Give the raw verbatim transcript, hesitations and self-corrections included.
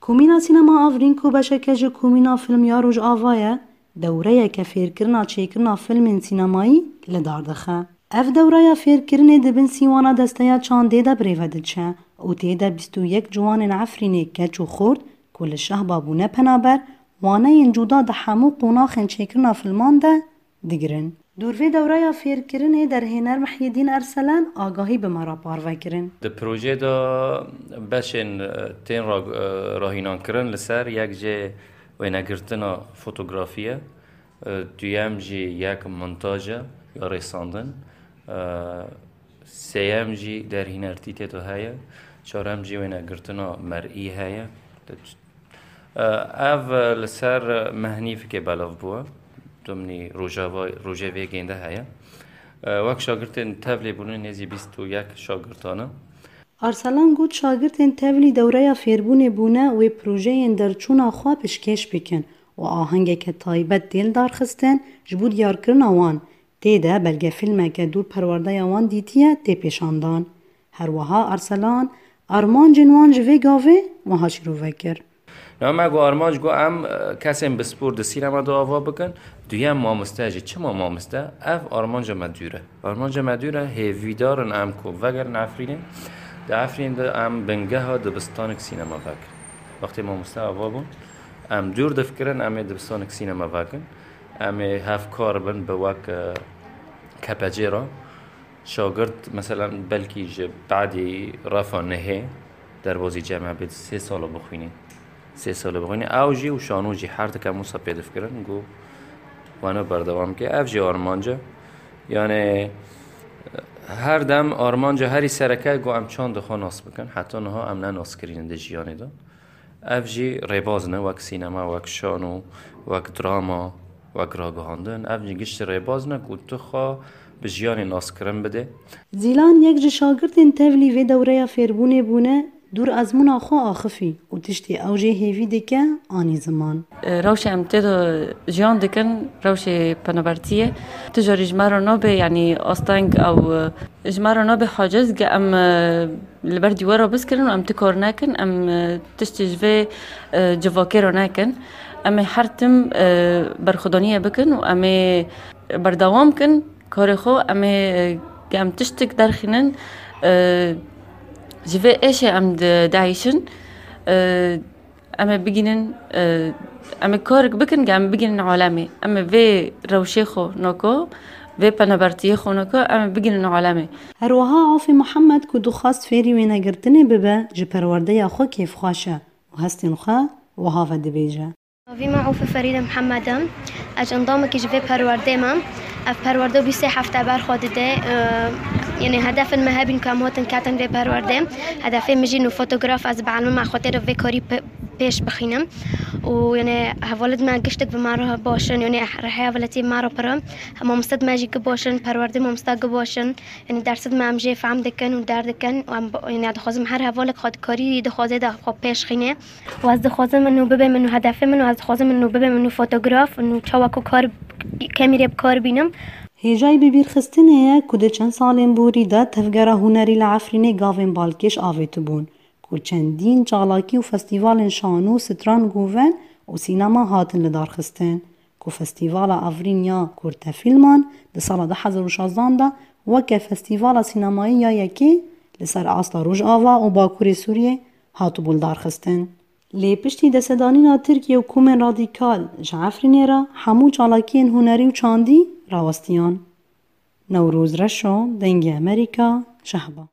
Komîna Sînema Afrîn ku beşeke ji Komîna Film ya Rojava ye, dewreyeke fêrkirina çêkirina filmên sînemayî li dar dixe. Ev dewreya fêrkirinê di bin sîwana desteya çandê de birêve diçe û tê de bîst û yek ciwanên Efrînê keç û xort ku li Şehba bûne penaber, waneyên cuda di hemû qonaxên çêkirina filman de digirin. Dûr vê dewreya fêrkirinê derhêner Mihyedîn Erselan agahî bi me re parve kirin. Di projeyê de beşên, e, tên ra-, e, rahînankirin li ser yek jê wênegirtina fotografî ye, e, duyem jî yek montaj e ya rêsandin, e, sêyem jî derhînertî tê de heye, çarem jî wênegirtina mer'î heye. Ev li ser mehnî fikê belav bûye. Dimnî Rojava, Rojevê gênde heye. Wek şagirtên tevlî bûne nêzî bîst û yek şagirtane. Arselan got, şagirtên tevlî dewreya fêrbûnê bûne wê projeyên derçûna xwe pişkêş bikin û ahengeke taybet tê lidarxistin ji bo diyarkirina wan. Tê de belgefîlmeke dûr perwerdeya wan dîtiye tê pêşandan. Her wiha Arselan armancên wan ji vê gavê wiha şîrove kir. Niha me got armanc, got em, e, kesên bispor di sînema de ava bikin. Duyem mamoste jî. Çima mamoste? Ev armanca me dûr e. Armanca me dûr e, hêvîdar in em ku vegerin Efrînê. Di Efrînê de em bingeha dibistanek sînema vekin. Wextê mamoste ava bûn, em dûr difikirin, em ê dibistanek sînema vekin. Em ê hevkar bin bi wek, e, K P C re. Şagirt, meselen, belkî ji badî refa nehê derbazî cem hebê sê sala bixwînî. Sê sala bixwînî. Ew jî û şano jî her dikem wisa pê difikirin, got, weno berdewam ke. Ev jî armanc e. Yani, her dem armanca herî sereke, got, em çand xwe nas bikin. Heta niha em ne nas kirîn di jiyanê de. Ev jî rêbaz ne, wek sînema, wek şano, wek drama, wek ragihandin. Ev jî giştî rêbaz ne ku tu xwe bi jiyanê naskirin bidê. Zîlan yek ji şagirtên tevlî vê dewreya fêrbûnê bûne, dûr ezmûna xwe axifî û tiştê ew jê hêvî dike, anî ziman. Rewşê em tê de jiyan dikin, rewşê penabertiyê. Tu carî ji me re nabe, yanî asteng ew, e, ji me re nabe haciz, ge em, e, li ber dîwara biskirin û em ti kar nekin, em, e, tiştê ji vê, e, civakê re nekin. Em ê her tim, e, berxwedaniyê bikin û em ê berdewam kin karê xwe. Em ê, e, em tiştik derxînin, e, ji vê êşê em di-, dieyşin. E, Em ê bigînin, e, em ê karik bikin, ge em bigînin alemê. Em ê vê rewşê xwe nako, vê penabertiyê xwe nako, em ê bigînin alemê. Her wiha Afê Mihemed ku dixwast fêrî wênegirtinê bibe, ji perwerdeya xwe kêfxweş e û hestên xwe wiha vedibêje. Navî me Ofe Ferîde Mihemed e. Ez endamekî ji vê perwerdê me. Ev perwerde bîst sê hefte ber xwe dide. Yanî hedefên me hebîn ku em hatin ketin vê perwerdê. Hedefê min jî nû fotograf ez bi elmê me xwe tê re vê karî pe-, pêş bixînim. Û yanî hevalêt me giştek bi me re baş in. Yanî rihê hevaletî me re pir e. Mamoste me jî gi baş in, perwerdê mamoste gi baş in. Yanî dersê me em jê fehm dikin û derdikin. Û em bi-, yanî dixwazim her hevalek xwe di karî dixwazê de xwe pêş xîne. Û ez dixwazim min û bibe min û hedefê min û ez dixwazim min û bibe min û fotograf û çawa ku kar, kemîrê bi kar bînim. Hêjayî bibîrxistinê ye ku di çend salên borî de tevgera hunerî li Efrînê gavên balkêş avêtibûn, ku çendîn çalakî û festîvalên şano, stran, goven û sînema hatin lidarxistin, ku Festîvala Efrîn ya Kurtefîlman di sala du hezar û şazdan de weke festîvala sînemayî ya yekê li ser asta Rojava û Bakurê Sûriyê hatibû lidarxistin. Lê piştî destedanîna Tirkiye û komên radîkal ji Efrînê re hemû çalakiyên hunerî û çandî rawestiyan. Newroz Reşo, Dengê Amerîka, Şehba.